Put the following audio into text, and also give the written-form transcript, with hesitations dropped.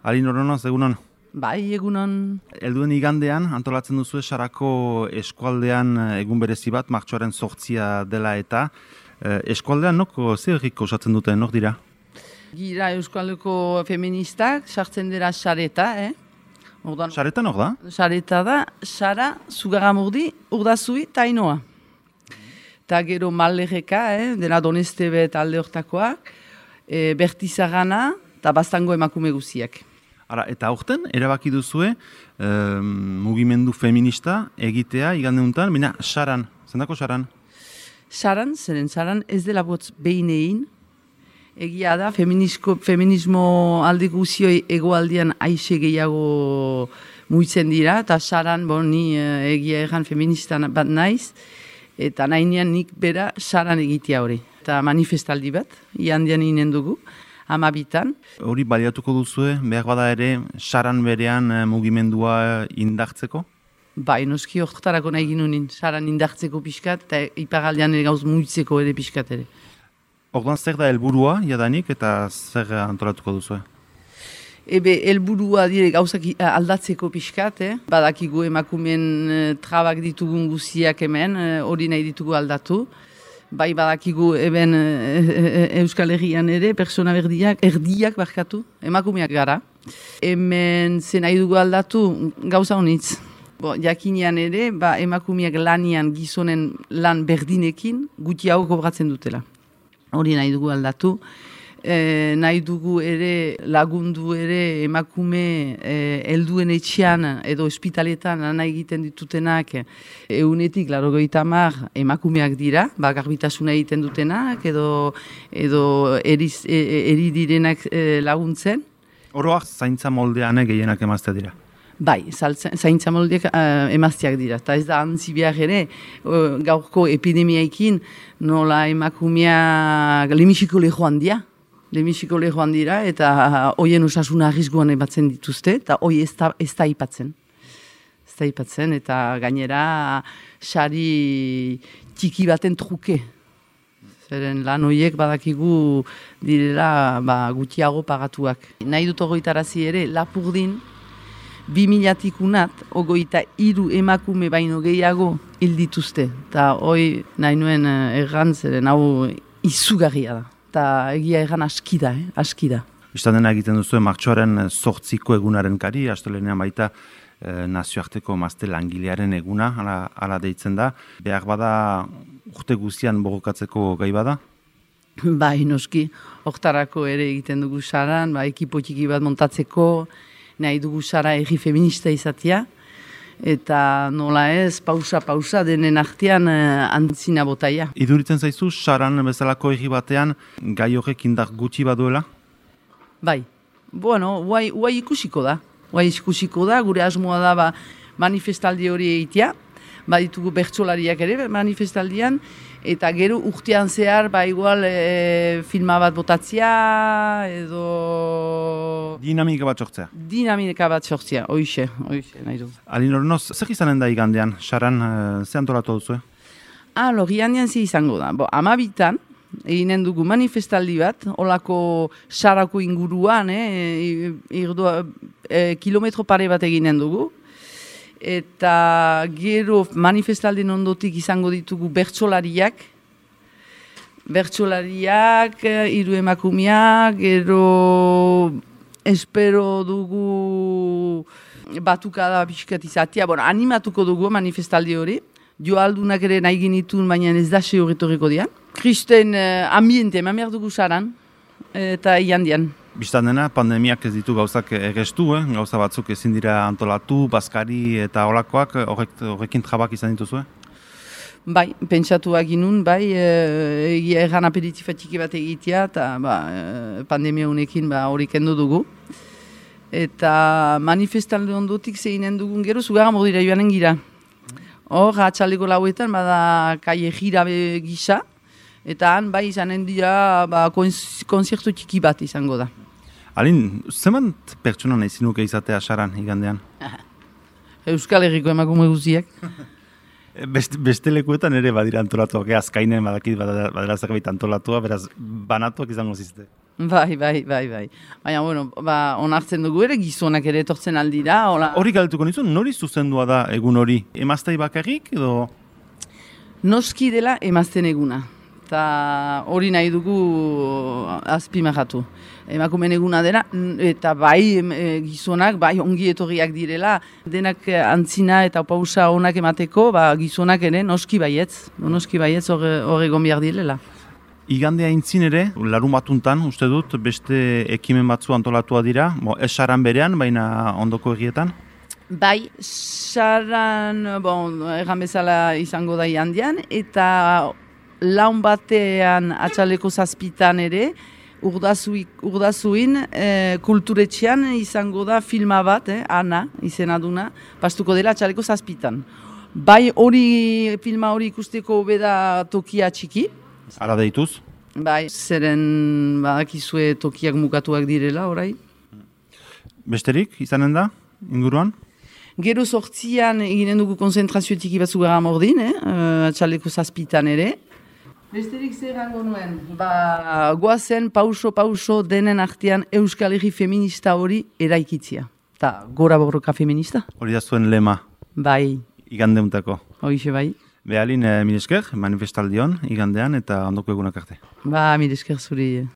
Alin Oronoz, egunon. Bai, egunon. Helduen igandean, antolatzen duzu Sarako eskualdean egun berezi bat, martxoaren 8 dela eta eskualdean zer herriko osatzen dute, nok dira? Gira Euskaldeko feministak, sartzen dira sareta, Sareta nok da? Sareta da, Sara, Zugaramurdi, Urdazui, eta Ainoa. Eta gero Mallerreka, dena Donestebe eta alde hortakoak, Bertizagana eta Bastango emakume guziak. Ara, eta aurten, erabaki duzue, mugimendu feminista egitea igande honetan, baina Saran, zendako Saran? Saran, zeren Saran ez dela botz behin egin, egia da, feminismo alde guzioi egoaldian aixe gehiago muitzen dira, eta Saran, ni egia erran feminista bat naiz, eta nahinean nik bera Saran egitea hori. Eta manifestaldi bat, iandian inen dugu, 12. Hori baliatuko duzue, behar bada ere, Saran berean mugimendua indartzeko? Bai, noski horretarako nahi ginunin, Saran indartzeko pixkat, eta iparaldean ere gauz muitzeko ere pixkat ere. Orduan zer da helburua jadanik eta zer antolatuko duzue? Helburua dire gauzak aldatzeko pixkat, badakigu emakumeen trabak ditugun guziak hemen, hori nahi ditugu aldatu. Bai badakigu eben Euskal Herrian ere, persona erdiak barkatu, emakumeak gara. Hemen zen nahi dugu aldatu gauza honitz. Jakinean ere, emakumeak lanian gizonen lan berdinekin gutxiago kobratzen dutela. Hori nahi dugu aldatu. Nahi dugu ere lagundu ere emakume helduen etxean edo ospitaletan lan egiten ditutenak egunetik 80 emakumeak dira, garbitasuna egiten dutenak edo eri direnak laguntzen. Oroak zaintza moldean gehienak emazte dira? Bai, zaintza moldeak emazteak dira. Eta ez da antzi behar ere, gaurko epidemiaikin nola emakumeak lemisiko lehoan dira. Lemisiko lehoan dira eta hoien osasuna arriskuan ematzen dituzte, eta hoi ez da ipatzen. Ez da ipatzen, eta gainera sari txiki baten truke. Zeren lan horiek badakigu direla gutxiago pagatuak. Nahi dut ogoitarazi ere, Lapurdin 2000-tik unat, 23 emakume baino gehiago hil dituzte. Eta hoi nahi nuen erran, zeren hau izugarria da. Eta egia egan aski da. Bistan dena egiten duzu, martxoaren 8 egunaren kari, astelenean baita nazioarteko emazte langilearen eguna, ala deitzen da. Behar bada urte guztian borrokatzeko gai bada? Bai, noski, hortarako ere egiten dugu Saran, ekipo txiki bat montatzeko, nahi dugu Sara herri feminista izatea, eta nola ez, pausa denen artean antzina botaia. Iduritzen zaizu, Saran bezalako herri batean gai horrek indar gutxi baduela? Bai, guai ikusiko da. Gure asmoa da manifestaldi hori egitea, baditugu bertsolariak ere manifestaldian, eta gero urtean zehar, igual filma bat botatzea, edo... Dinamika bat sortzea. Hoixe, nahi du. Alin Oronoz, zer izanen da igandean, Saran, ze antolatu duzu? Igandean ze izango da. 12. Eginen dugu manifestaldi bat, olako Sarako inguruan, kilometro pare bat eginen dugu. Eta gero manifestaldien ondotik izango ditugu bertsolariak, 3 emakumeak, gero espero dugu batukada pixkat izatea, animatuko dugu manifestaldi hori, joaldunak ere nahi genitun, baina ez da horretoriko dian. Kristen ambiente, eman behar dugu Saran, eta iandian. Bistan dena, pandemiak ez ditu gauzak egestu, gauza batzuk ezin dira antolatu, bazkari eta olakoak, horrekin trabak izan dituzue? Bai, pentsatuak ginun, egia erran aperitifatxiki bat egitea, eta pandemia honekin hori kendu dugu. Eta manifestalde ondotik zeinen dugun gero, Zugaramurdira joanen gira. Hor, atxaldeko lauetan, kaie jira gisa, eta han izanen dira konzertu txiki bat izango da. Alin, zemant pertsona nahi zinuke izatea Saran igandean? Euskal Herriko emakume guziak. Beste lekuetan ere badira antolatuak, azkainen badakit badera zerbait antolatua, beraz banatuak izango zizte. Bai. Baina, bueno, onartzen dugu ere, gizonak ere etortzen aldira, hola. Hori galdetuko nizun, nori zuzendua da egun hori? Emaztei bakarrik edo? Noski dela emazten eguna. Eta hori nahi dugu azpimarratu. Emakumeen eguna dela, eta bai gizonak, bai ongi etorriak direla, denak antzina eta pausa onak emateko, gizonak ere noski baietz hor egon behar direla. Igandea intzin ere, larun batuntan, uste dut, beste ekimen batzu antolatua dira, esaran berean, baina ondoko egietan? Bai, saran, erran bezala izango da handian, eta laun batean atxaleko zazpitan ere, urdazuin kulturetxean izango da filma bat, Ana izena duna, pastuko dela atxaleko zazpitan. Bai filma hori ikusteko beda tokia txiki. Ara deituz? Bai, zeren badakizue tokiak mukatuak direla, orai. Besterik, izanen da, inguruan? Gero 8an eginen dugu konzentrazio txiki batzu gara mordin, atxaleko zazpitan ere. Besterik zer gango nuen, goazen pauso denen artean Euskal Herri feminista hori eraikitzia. Ta gora borroka feminista? Hori da zuen lema? Bai. Igandeuntako? Hoixe bai. Behalin, mil esker, manifestaldion, igandean eta ondoko egunak arte. Mil esker zuri.